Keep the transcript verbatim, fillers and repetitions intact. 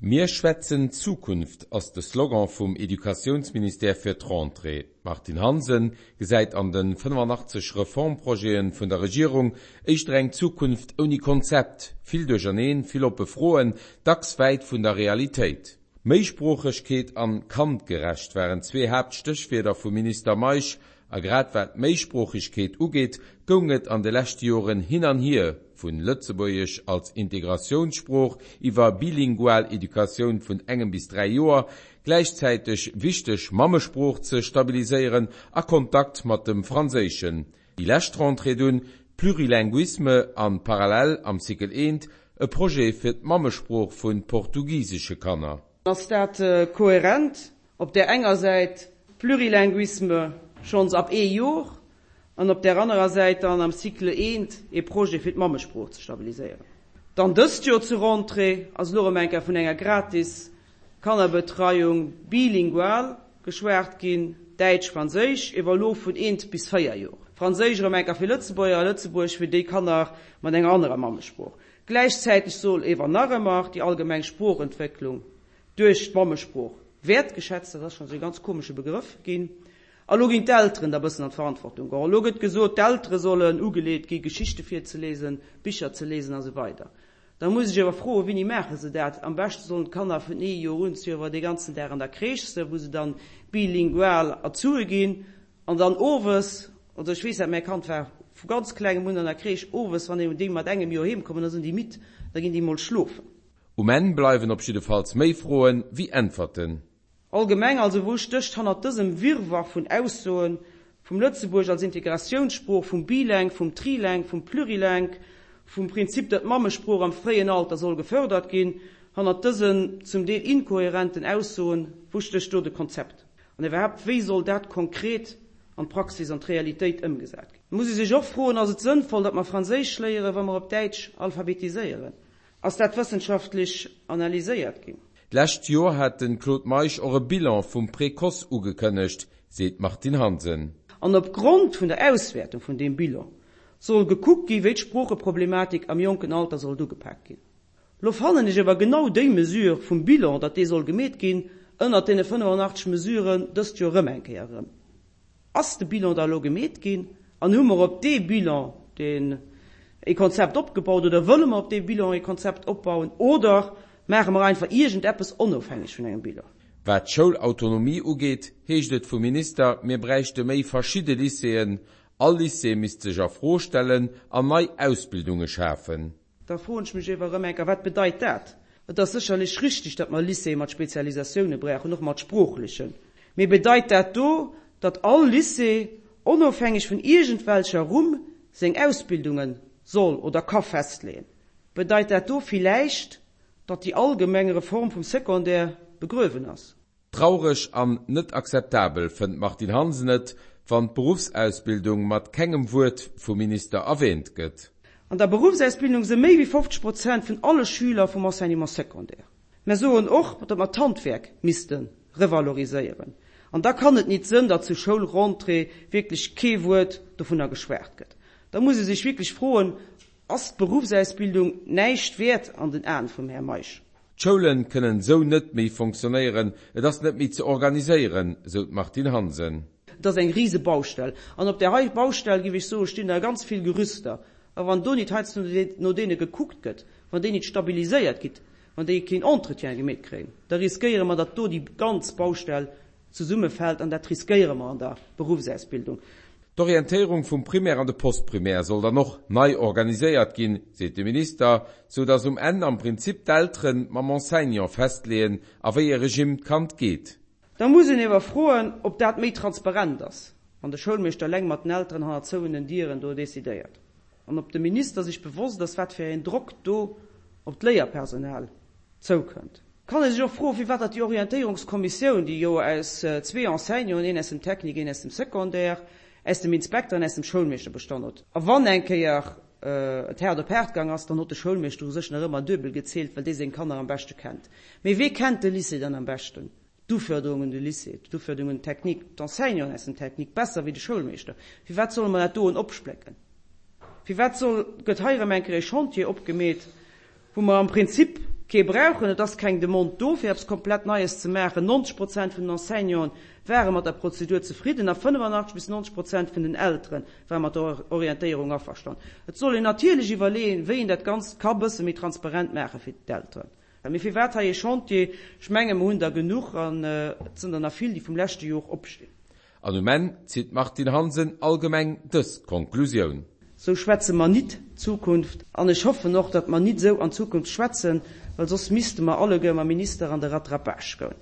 Mir schwätzen Zukunft ass de Slogan vum Educatiounsministère fir d'Rentrée. D'Martine Hansen gesäit an de fënnefanachtzeg Reformprojete vun der Regierung éischter eng Zukunft ouni Konzept, vill Duercherneen, vill oppe Froen, dacks wäit vun der Realitéit. Méisproochegkeet an kandgerecht waren zwee Haaptstéchwierder vum Minister Meisch. A grad wat d'Méisproochegkeet ugeet, goung et an de leschte Joren hin an hier, vun Lëtzebuergesch als Integratiounssprooch iwwer bilingual Educatioun vun engem bis dräi Joer, gläichzäiteg wichteg Mammesprooch ze stabiliséieren a Kontakt mat dem Franséischen. Déi lescht Rentrée dunn, Plurilinguisme an parallel am Cycle eent e Projet fir d'Mammesprooch vu portugisesche Kanner. Ass dat kohärent? Op där enger Säit Plurilinguisme schonns ab ee Jor an op där anerer Säit dann am Cycle eent ee Projet fir d'Mammesprooch ze stabiliséieren. Dann dëst Joer zur Rentrée ass elo erëm eng Kéier vun enger gratis Kannerbetreiung bilingual geschwat ginn, Däitsch-Franséisch, ewer elo vun eent bis véier Jor. Franséisch erëm eng Kéier fir Lëtzebuerger a Lëtzebuergesch fir déi Kanner mat enger anerer Mammesprooch. Gläichzäiteg soll ewer nach ëmmer déi allgemeng Sproochentwécklung duerch d'Mammesprooch wäertgeschätzt, dat ass schonn esou ee ganz komesche Begrëff, ginn. A lo ginn d'Elteren da bëssen an d'Verantwortung geholl. Lo gëtt gesot, d'Eltere sollen ugeleet gi Geschichte virzelesen, Bicher ze lesen a sou weider. Da muss ech awer froen, Wéini maache se dat? Am beschte sollen d'Kanner vun ee Joer un zwar dee ganzen Dag an der Crèche sinn, wou se dann bilingual erzuhe ginn, an dann owes, also ech weess dat, mäi Kand war vu ganz klengem un an der Crèche, owes, wann déi mat engem Joer heem kommen, da sinn déi midd, da ginn déi mol schlofen. Um Enn bleiwen op jiddefalls méi Froen wéi Äntwerten. Allgemeng also, wou stécht hannert dësem Wirrwarr vun Aussoen, vum Lëtzebuergesch als Integratiounssprooch, vum Bilingue, vum Trilingue, vum Plurilingue, vum Prinzip, datt d'Mammesprooch am fréien Alter soll gefördert ginn, hannert dësen zum Deel inkohärenten Aussoen, wou stécht do de Konzept? An iwwerhaapt, wéi soll dat konkret an d'Praxis, an d'Realitéit ëmgesat ginn? Et muss ee sech och froen, Ass et sënnvoll, datt mer Franséisch léieren, wa mer op Däitsch alphabetiséieren? Ass dat wëssenschaftlech analyséiert ginn? D'lescht Joer hat de Claude Meisch och e Bilan vum Précoce ugekënnegt, seet d'Martine Hansen. An op Grond vun der Auswäertung vun deem Bilan soll gekuckt ginn, wéi d'Sproocheproblematik am jonken Alter sollt ugepak ginn. Lo fannen ech awer genau déi Mesure vum Bilan, datt dee soll gemeet ginn, ënnert deene fënnefenachtzeg Mesuren dëst Joer erëm eng Kéier erëm. Ass de Bilan da elo gemeet ginn an hu mer op dee Bilan deen ee Konzept opgebaut oder wëlle mer op dee Bilan ee Konzept opbauen oder maache mer einfach iergendeppes onofhängeg vun engem Bilan? Wat d'Schoulautonomie ugeet, heescht et vum Minister, mir bräichte méi verschidde Lycéeën, all Lycée misst sech a Fro stellen an nei Ausbildunge schafen. Da froen ech mech ewer erëm eng Kéier, Wat bedeit dat? Et ass sécherlech richtig, datt mer Lycéeë mat Spezialisatioune brauchen, och mat sproochlechen. Mee bedeit dat do, datt all Lycée, onofhängeg vun iergendwelcher Rumm, seng Ausbildunge soll oder ka festleeën? Bedeit dat do villäicht, datt déi allgemeng Reform vum Secondaire begruewen ass? Traureg an net akzeptabel fënnt d'Martine Hansen et, wann d'Beruffsausbildung mat kengem Wuert vum Minister erwäänt gëtt. An der Beruffsausbildung si méi wéi fofzeg Prozent vun alle Schüler vum Enseignement secondaire. Mer soen och, datt mer d'Handwerk misste revaloriséieren. An da kann et nit sënn, datt zur Schoulrentrée wierklech kee Wuert dovunner geschwat gëtt. Da muss ee sech wierklech froen, Ass d'Beruffsausbildung näischt wäert an den Aen vum Här Meisch? D'Schoule kënnen esou net méi fonctionnéieren, et ass net méi ze organiséieren, sou d'Martine Hansen. Et ass eng rise Baustell. An op där hei Baustell, géif ech soen, stinn der ganz vill Gerüster. A wann do nit heiansdo no deene gekuckt gëtt, wann déi nit stabiliséiert gitt, wann déi keen Entretien gemeet kréien, da riskéiere mer, datt do déi ganz Baustell zesummefält. An dat riskéiere mer an der Beruffsausbildung. D'Orientéierung vum Primaire an de Postprimaire soll dann och nei organiséiert ginn, seet de Minister, sou datt um Enn am Prinzip d'Eltere mam Enseignant festleeën, a wéi ee Regimm d'Kand geet. Da muss een ewer froen, ob dat méi transparent ass, wann de Schoulmeeschter eleng mat den Elteren hannert zouenen Dieren do decidéiert, an ob de Minister sech bewosst ass, wat fir een Drock do op d'Léierpersonal zoukënnt. Kann ee sech och froen, firwat datt déi Orientéierungskommissioun, déi jo aus zwee Enseignanten, een aus dem Technique, een aus dem Secondaire, aus dem Inspekter an aus dem Schoulmeeschter bestan huet. A wann eng Kéier et haart op haart gaang ass, dann huet de Schoulmeeschter u sech nach ëmmer duebel gezielt, well dee seng Kanner am beschte kennt. Mee wee kennt de Lycée dann am beschten? D'Uförderung un de Lycée, d'Uförderung un d'Technique, d'Enseignanten aus dem Technique besser wéi de Schoulmeeschter. Firwat solle mer dat doen opsplécken? Firwat soll, gëtt hei erëm eng Kéier e Chantier opgemeet, wou mer am Prinzip kee brauchen. Et ass keng Demande do fir eppes komplett Neies ze maachen. neunzeg Prozent vun den Enseignanten ware mat der Prozedur zefridden a fënnefanachteg bis neunzeg Prozent vun den Eltere ware mat der Orientéierung averstanen. Et soll een natierlech iwwerleeën, wéi een dat Ganzt ka bësse méi transparent maache fir d'Elteren. Mee firwat hei ee Chantier? Ech menge mer hunn der genuch an et sinn der nach vill, déi vum leschte Jor opstinn. An um Enn zitt d'Martine Hansen allgemeng dës Konklusioun. Sou schwätze mer nit Zukunft an ech hoffen och, datt mer nit sou an Zukunft schwätzen, well soss misste mer alleguer mam Minister an de Rattrapage goen.